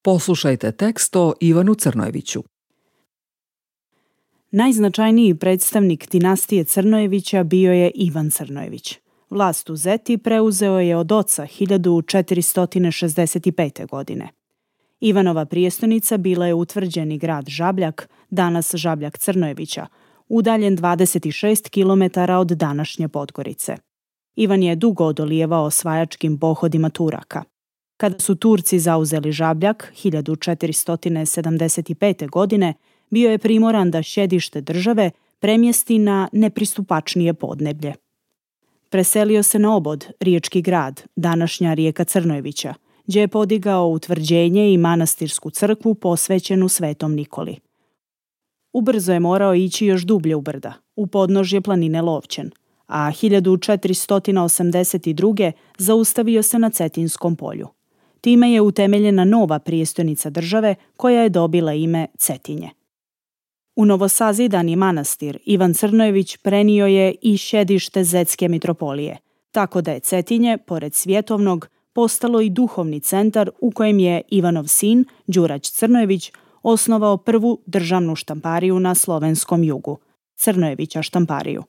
Poslušajte tekst o Ivanu Crnojeviću. Najznačajniji predstavnik dinastije Crnojevića bio je Ivan Crnojević. Vlast u Zeti preuzeo je od oca 1465. godine. Ivanova prijestolnica bila je utvrđeni grad Žabljak, danas Žabljak Crnojevića, udaljen 26 km od današnje Podgorice. Ivan je dugo odolijevao osvajačkim pohodima Turaka. Kada su Turci zauzeli Žabljak 1475. godine, bio je primoran da sjedište države premjesti na nepristupačnije podneblje. Preselio se na Obod, riječki grad, današnja rijeka Crnojevića, gdje je podigao utvrđenje i manastirsku crkvu posvećenu Svetom Nikoli. Ubrzo je morao ići još dublje u brda, u podnožje planine Lovćen, a 1482. zaustavio se na Cetinskom polju. Time je utemeljena nova prijestolnica države koja je dobila ime Cetinje. U novosazidani manastir Ivan Crnojević prenio je i sjedište Zetske mitropolije, tako da je Cetinje, pored svjetovnog, postalo i duhovni centar u kojem je Ivanov sin, Đurać Crnojević, osnovao prvu državnu štampariju na slovenskom jugu, Crnojevića štampariju.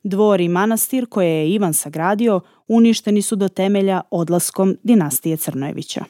Dvor i manastir koje je Ivan sagradio uništeni su do temelja odlaskom dinastije Crnojevića.